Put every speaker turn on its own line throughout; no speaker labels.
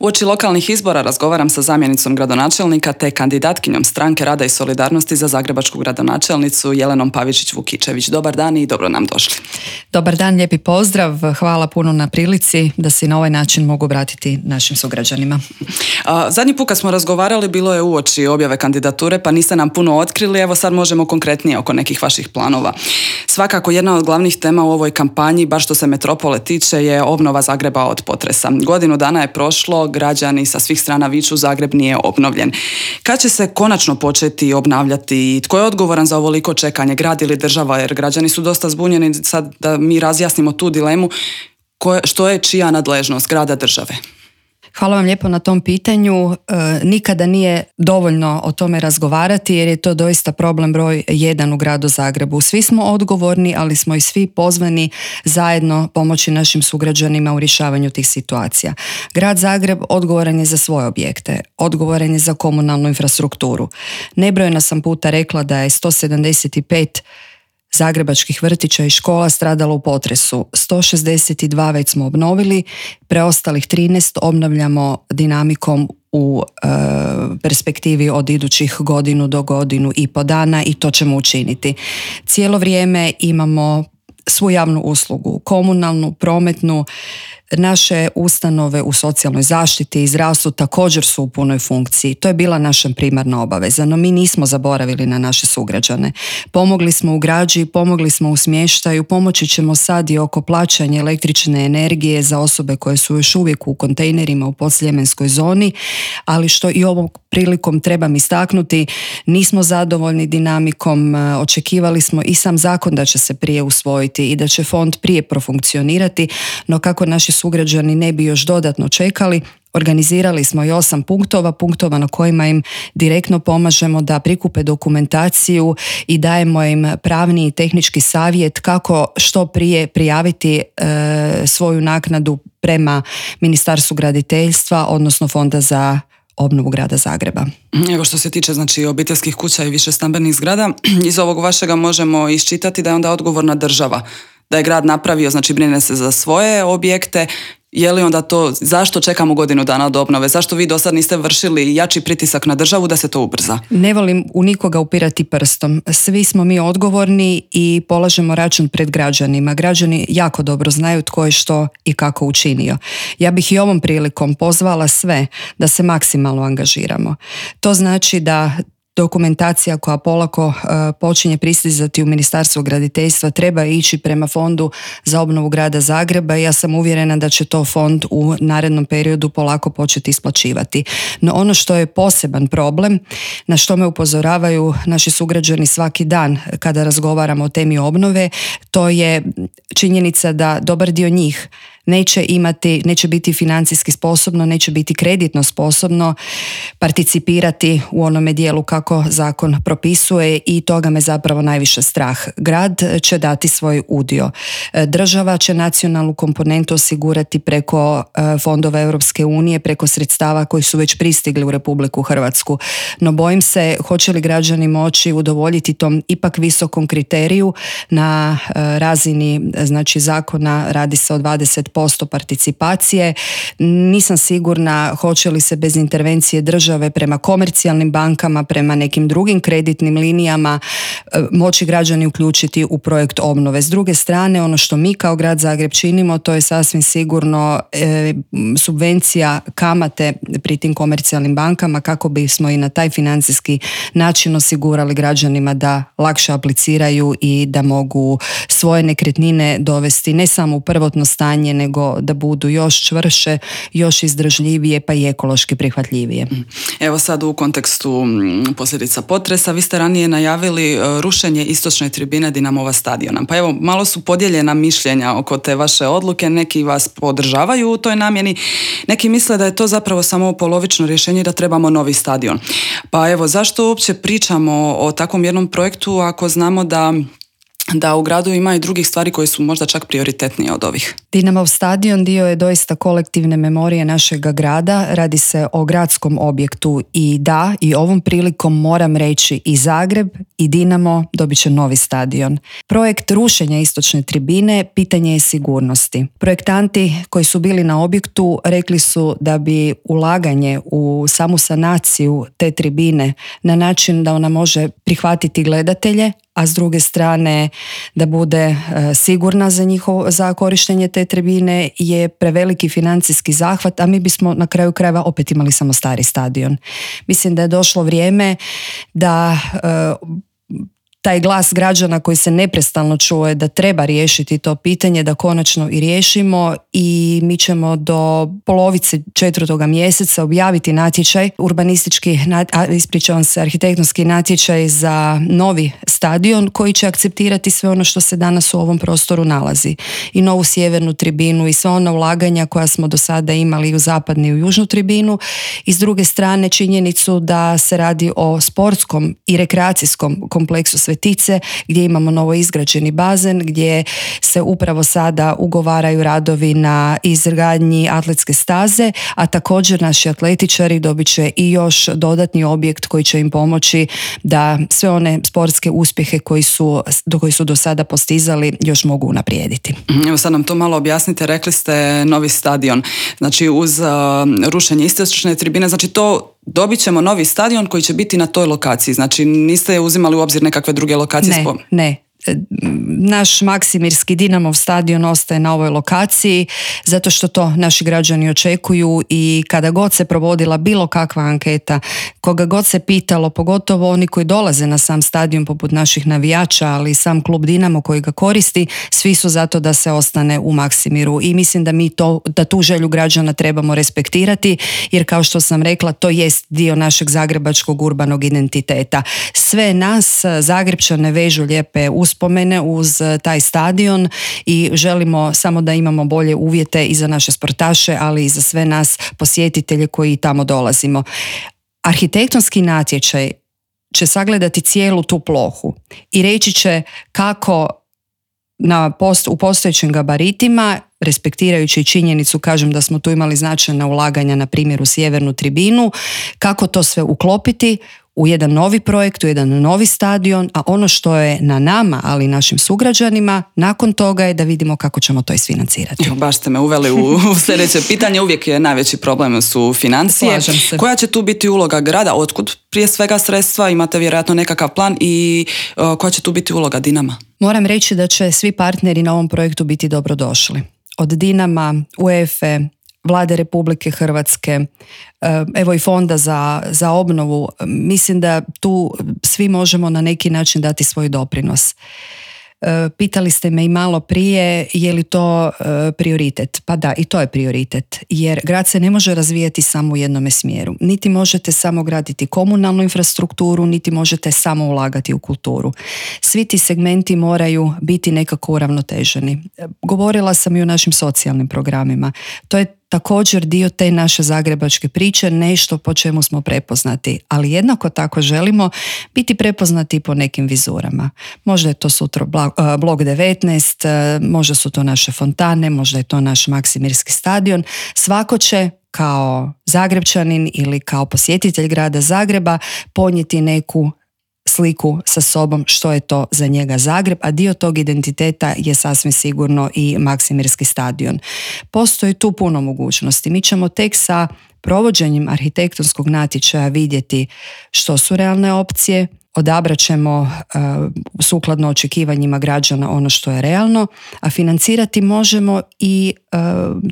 Uoči lokalnih izbora razgovaram sa zamjenicom gradonačelnika te kandidatkinjom Stranke rada i solidarnosti za zagrebačku gradonačelnicu Jelenom Pavičić-Vukičević. Dobar dan i dobro nam došli.
Dobar dan, lijepi pozdrav. Hvala puno na prilici da se na ovaj način mogu obratiti našim sugrađanima.
Zadnji put kad smo razgovarali bilo je uoči objave kandidature, pa niste nam puno otkrili. Evo sad možemo konkretnije oko nekih vaših planova. Svakako jedna od glavnih tema u ovoj kampanji, baš što se metropole tiče, je obnova Zagreba od potresa. Godinu dana je prošlo, građani sa svih strana viču Zagreb nije obnovljen. Kad će se konačno početi obnavljati? Tko je odgovoran za ovoliko čekanje, grad ili država? Jer građani su dosta zbunjeni. Sad da mi razjasnimo tu dilemu, što je čija nadležnost, grada, države?
Hvala vam lijepo na tom pitanju. Nikada nije dovoljno o tome razgovarati jer je to doista problem broj 1 u gradu Zagrebu. Svi smo odgovorni, ali smo i svi pozvani zajedno pomoći našim sugrađanima u rješavanju tih situacija. Grad Zagreb odgovoran je za svoje objekte, odgovoran je za komunalnu infrastrukturu. Nebrojeno sam puta rekla da je 175 zagrebačkih vrtića i škola stradalo u potresu. 162 već smo obnovili, preostalih 13 obnavljamo dinamikom u perspektivi od idućih godinu do godinu i po dana i to ćemo učiniti. Cijelo vrijeme imamo svu javnu uslugu, komunalnu, prometnu, naše ustanove u socijalnoj zaštiti i zdravstvu također su u punoj funkciji. To je bila naša primarna obaveza, no mi nismo zaboravili na naše sugrađane. Pomogli smo u građi, pomogli smo u smještaju, pomoći ćemo sad i oko plaćanja električne energije za osobe koje su još uvijek u kontejnerima u podsljemenskoj zoni, ali što i ovom prilikom trebam istaknuti, nismo zadovoljni dinamikom, očekivali smo i sam zakon da će se prije usvojiti i da će fond prije profunkcionirati, no kako naši sugrađani ne bi još dodatno čekali, organizirali smo i 8 punktova na kojima im direktno pomažemo da prikupe dokumentaciju i dajemo im pravni i tehnički savjet kako što prije prijaviti svoju naknadu prema Ministarstvu graditeljstva, odnosno Fonda za obnovu grada Zagreba.
Evo što se tiče obiteljskih kuća i višestambenih zgrada, iz ovog vašega možemo iščitati da je onda odgovorna država. Da je grad napravio, brine se za svoje objekte. Je li onda to, zašto čekamo godinu dana od obnove? Zašto vi do sad niste vršili jači pritisak na državu da se to ubrza?
Ne volim u nikoga upirati prstom. Svi smo mi odgovorni i polažemo račun pred građanima. Građani jako dobro znaju tko je što i kako učinio. Ja bih i ovom prilikom pozvala sve da se maksimalno angažiramo. To znači da dokumentacija koja polako počinje pristizati u Ministarstvo graditeljstva treba ići prema Fondu za obnovu grada Zagreba i ja sam uvjerena da će to fond u narednom periodu polako početi isplaćivati. No ono što je poseban problem, na što me upozoravaju naši sugrađani svaki dan kada razgovaramo o temi obnove, to je činjenica da dobar dio njih neće biti financijski sposobno, neće biti kreditno sposobno participirati u onome dijelu kako zakon propisuje i toga me zapravo najviše strah. Grad će dati svoj udio. Država će nacionalnu komponentu osigurati preko fondova Europske unije, preko sredstava koji su već pristigli u Republiku Hrvatsku. No bojim se hoće li građani moći udovoljiti tom ipak visokom kriteriju na razini zakona, radi se o 20% participacije. Nisam sigurna hoće li se bez intervencije države prema komercijalnim bankama, prema nekim drugim kreditnim linijama moći građani uključiti u projekt obnove. S druge strane, ono što mi kao grad Zagreb činimo, to je sasvim sigurno subvencija kamate pri tim komercijalnim bankama kako bismo i na taj financijski način osigurali građanima da lakše apliciraju i da mogu svoje nekretnine dovesti ne samo u prvotno stanje, nego da budu još čvrše, još izdržljivije pa i ekološki prihvatljivije.
Evo sad u kontekstu posljedica potresa, vi ste ranije najavili rušenje istočne tribine Dinamova stadiona. Pa evo, malo su podijeljena mišljenja oko te vaše odluke, neki vas podržavaju u toj namjeni, neki misle da je to zapravo samo polovično rješenje i da trebamo novi stadion. Pa evo, zašto uopće pričamo o takvom jednom projektu ako znamo da da u gradu ima i drugih stvari koje su možda čak prioritetnije od ovih.
Dinamov stadion dio je doista kolektivne memorije našega grada, radi se o gradskom objektu i da, i ovom prilikom moram reći i Zagreb i Dinamo dobit će novi stadion. Projekt rušenja istočne tribine pitanje je sigurnosti. Projektanti koji su bili na objektu rekli su da bi ulaganje u samu sanaciju te tribine na način da ona može prihvatiti gledatelje, a s druge strane da bude sigurna za korištenje te tribine je preveliki financijski zahvat, a mi bismo na kraju krajeva opet imali samo stari stadion. Mislim da je došlo vrijeme da taj glas građana koji se neprestano čuje da treba riješiti to pitanje, da konačno i riješimo, i mi ćemo do polovice 4. mjeseca objaviti natječaj, arhitektonski natječaj za novi stadion koji će akceptirati sve ono što se danas u ovom prostoru nalazi. I novu sjevernu tribinu i sva ona ulaganja koja smo do sada imali u zapadnu i u južnu tribinu, i s druge strane činjenicu da se radi o sportskom i rekreacijskom kompleksu Svetice gdje imamo novo izgrađeni bazen, gdje se upravo sada ugovaraju radovi na izgradnji atletske staze, a također naši atletičari dobit će i još dodatni objekt koji će im pomoći da sve one sportske uspjehe koji su do sada postizali još mogu unaprijediti.
Evo sad nam to malo objasnite, rekli ste novi stadion, znači uz rušenje istočne tribine, znači to dobit ćemo novi stadion koji će biti na toj lokaciji, znači niste uzimali u obzir nekakve druge lokacije?
Ne. Naš Maksimirski Dinamov stadion ostaje na ovoj lokaciji zato što to naši građani očekuju, i kada god se provodila bilo kakva anketa, koga god se pitalo, pogotovo oni koji dolaze na sam stadion poput naših navijača, ali i sam klub Dinamo koji ga koristi, svi su zato da se ostane u Maksimiru, i mislim da tu želju građana trebamo respektirati, jer kao što sam rekla, to jest dio našeg zagrebačkog urbanog identiteta. Sve nas Zagrepčane vežu lijepe uspomene uz taj stadion i želimo samo da imamo bolje uvjete i za naše sportaše, ali i za sve nas posjetitelje koji tamo dolazimo. Arhitektonski natječaj će sagledati cijelu tu plohu i reći će kako u postojećim gabaritima, respektirajući činjenicu, kažem, da smo tu imali značajna ulaganja na primjer u sjevernu tribinu, kako to sve uklopiti u jedan novi projekt, u jedan novi stadion, a ono što je na nama, ali i našim sugrađanima, nakon toga je da vidimo kako ćemo to isfinancirati.
Baš ste me uveli u sljedeće pitanje. Uvijek je najveći problem su financije.
Slažem se.
Koja će tu biti uloga grada? Otkud prije svega sredstva? Imate vjerojatno nekakav plan, i koja će tu biti uloga Dinama?
Moram reći da će svi partneri na ovom projektu biti dobrodošli. Od Dinama, UEFA, Vlade Republike Hrvatske, evo i Fonda za obnovu. Mislim da tu svi možemo na neki način dati svoj doprinos. Pitali ste me i malo prije, je li to prioritet? Pa da, i to je prioritet, jer grad se ne može razvijati samo u jednome smjeru. Niti možete samo graditi komunalnu infrastrukturu, niti možete samo ulagati u kulturu. Svi ti segmenti moraju biti nekako uravnoteženi. Govorila sam i o našim socijalnim programima. To je također dio te naše zagrebačke priče, nešto po čemu smo prepoznati, ali jednako tako želimo biti prepoznati po nekim vizurama. Možda je to sutra blok 19, možda su to naše fontane, možda je to naš Maksimirski stadion. Svako će kao Zagrepčanin ili kao posjetitelj grada Zagreba ponijeti neku sliku sa sobom što je to za njega Zagreb, a dio tog identiteta je sasvim sigurno i Maksimirski stadion. Postoji tu puno mogućnosti. Mi ćemo tek sa provođenjem arhitektonskog natječaja vidjeti što su realne opcije, odabrat ćemo sukladno očekivanjima građana ono što je realno, a financirati možemo i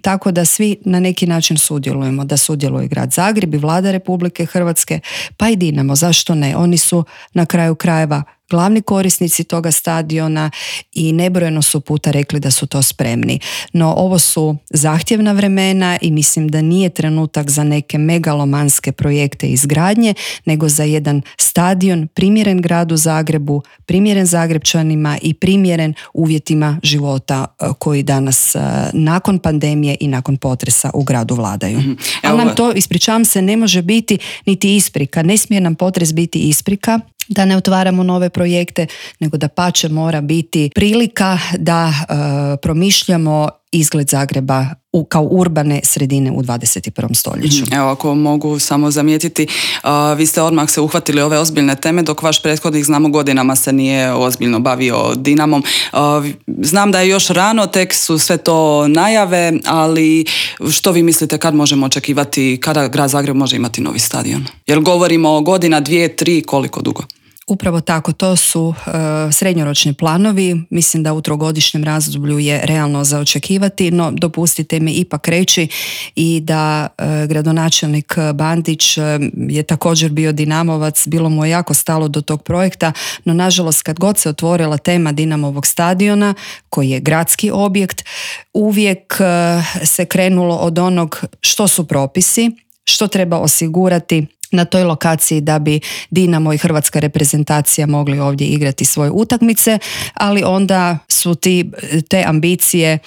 tako da svi na neki način sudjelujemo, da sudjeluje grad Zagreb i Vlada Republike Hrvatske, pa i Dinamo, zašto ne? Oni su na kraju krajeva glavni korisnici toga stadiona i nebrojeno su puta rekli da su to spremni. No ovo su zahtjevna vremena i mislim da nije trenutak za neke megalomanske projekte izgradnje, nego za jedan stadion primjeren gradu Zagrebu, primjeren Zagrepčanima i primjeren uvjetima života koji danas nakon pandemije i nakon potresa u gradu vladaju. Ali nam to, ispričavam se, ne može biti niti isprika. Ne smije nam potres biti isprika da ne otvaramo nove projekte, nego da pače mora biti prilika da promišljamo izgled Zagreba kao urbane sredine u 21. stoljeću.
Evo, ako mogu samo zamijetiti, vi ste odmah se uhvatili ove ozbiljne teme, dok vaš prethodnik, znamo, godinama se nije ozbiljno bavio Dinamom. Znam da je još rano, tek su sve to najave, ali što vi mislite kad možemo očekivati, kada grad Zagreb može imati novi stadion? Jer govorimo o godina, 2, 3, koliko dugo?
Upravo tako, to su srednjoročni planovi. Mislim da u trogodišnjem razdoblju je realno za očekivati, no dopustite mi ipak reći i da gradonačelnik Bandić je također bio Dinamovac, bilo mu je jako stalo do tog projekta, no nažalost kad god se otvorila tema Dinamovog stadiona, koji je gradski objekt, uvijek se krenulo od onog što su propisi, što treba osigurati na toj lokaciji da bi Dinamo i hrvatska reprezentacija mogli ovdje igrati svoje utakmice, ali onda su te ambicije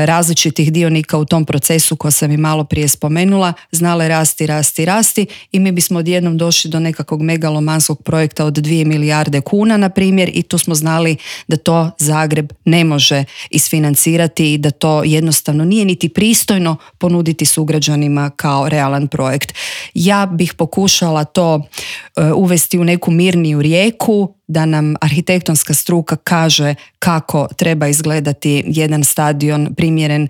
različitih dionika u tom procesu koje sam i malo prije spomenula znale rasti i mi bismo odjednom došli do nekakvog megalomanskog projekta od 2 milijarde kuna, na primjer, i tu smo znali da to Zagreb ne može isfinancirati i da to jednostavno nije niti pristojno ponuditi sugrađanima kao realan projekt. Ja bih pokušala to uvesti u neku mirniju rijeku, da nam arhitektonska struka kaže kako treba izgledati jedan stadion primjeren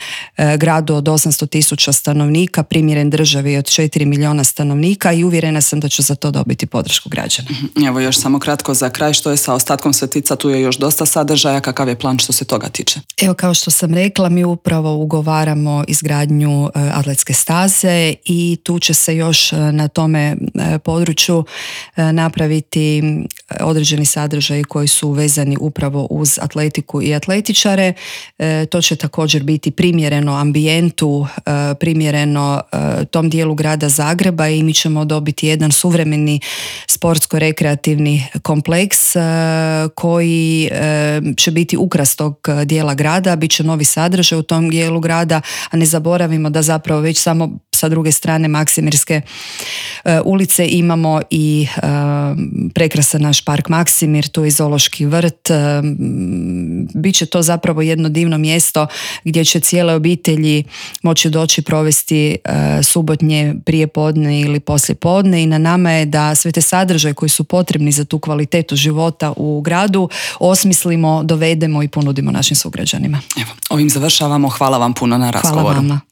gradu od 800.000 stanovnika, primjeren državi od 4 milijuna stanovnika, i uvjerena sam da ću za to dobiti podršku građana.
Evo još samo kratko za kraj, što je sa ostatkom Svetica, tu je još dosta sadržaja, kakav je plan što se toga tiče?
Evo, kao što sam rekla, mi upravo ugovaramo izgradnju atletske staze i tu će se još na tome području napraviti određeni sadržaji koji su vezani upravo uz atletiku i atletičare. To će također biti primjereno ambijentu, primjereno tom dijelu grada Zagreba, i mi ćemo dobiti jedan suvremeni sportsko-rekreativni kompleks koji će biti ukras tog dijela grada, bit će novi sadržaj u tom dijelu grada, a ne zaboravimo da zapravo već samo sa druge strane Maksimirske ulice imamo i prekrasan naš park Maksimir, tu je zoološki vrt. Biće to zapravo jedno divno mjesto gdje će cijele obitelji moći doći provesti subotnje prijepodne ili poslijepodne, i na nama je da sve te sadržaje koji su potrebni za tu kvalitetu života u gradu osmislimo, dovedemo i ponudimo našim sugrađanima.
Evo, ovim završavamo. Hvala vam puno na razgovoru.
Hvala vama.